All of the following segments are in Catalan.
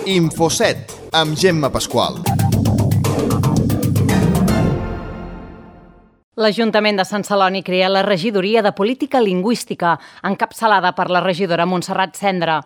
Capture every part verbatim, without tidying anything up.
Infoset, amb Gemma Pasqual. L'Ajuntament de Sant Celoni crea la Regidoria de Política Lingüística, encapçalada per la regidora Montserrat Cendra.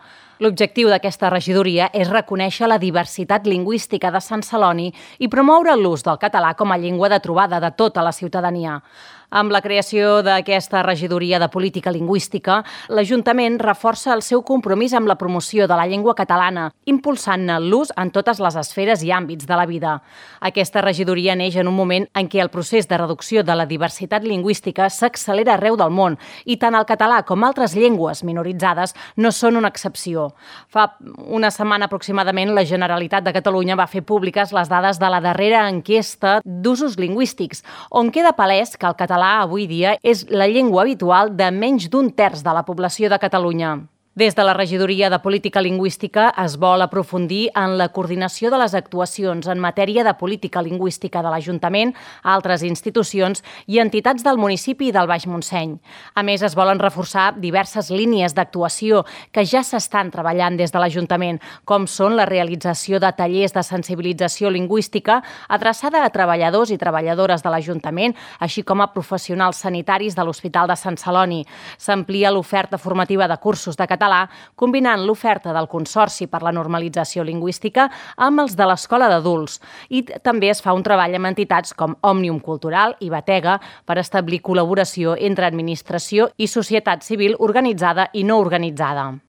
L'objectiu d'aquesta regidoria és reconèixer la diversitat lingüística de Sant Celoni i promoure l'ús del català com a llengua de trobada de tota la ciutadania. Amb la creació d'aquesta regidoria de política lingüística, l'Ajuntament reforça el seu compromís amb la promoció de la llengua catalana, impulsant-ne l'ús en totes les esferes i àmbits de la vida. Aquesta regidoria neix en un moment en què el procés de reducció de la diversitat lingüística s'accelera arreu del món i tant el català com altres llengües minoritzades no són una excepció. Fa una setmana aproximadament la Generalitat de Catalunya va fer públiques les dades de la darrera enquesta d'usos lingüístics, on queda palès que el català avui dia és la llengua habitual de menys d'un terç de la població de Catalunya. Des de la Regidoria de Política Lingüística es vol aprofundir en la coordinació de les actuacions en matèria de política lingüística de l'Ajuntament, altres institucions i entitats del municipi i del Baix Montseny. A més, es volen reforçar diverses línies d'actuació que ja s'estan treballant des de l'Ajuntament, com són la realització de tallers de sensibilització lingüística adreçada a treballadors i treballadores de l'Ajuntament, així com a professionals sanitaris de l'Hospital de Sant Celoni. S'amplia l'oferta formativa de cursos de català, combinant l'oferta del Consorci per la Normalització Lingüística amb els de l'Escola d'Adults. I també es fa un treball amb entitats com Òmnium Cultural i Batega per establir col·laboració entre administració i societat civil organitzada i no organitzada.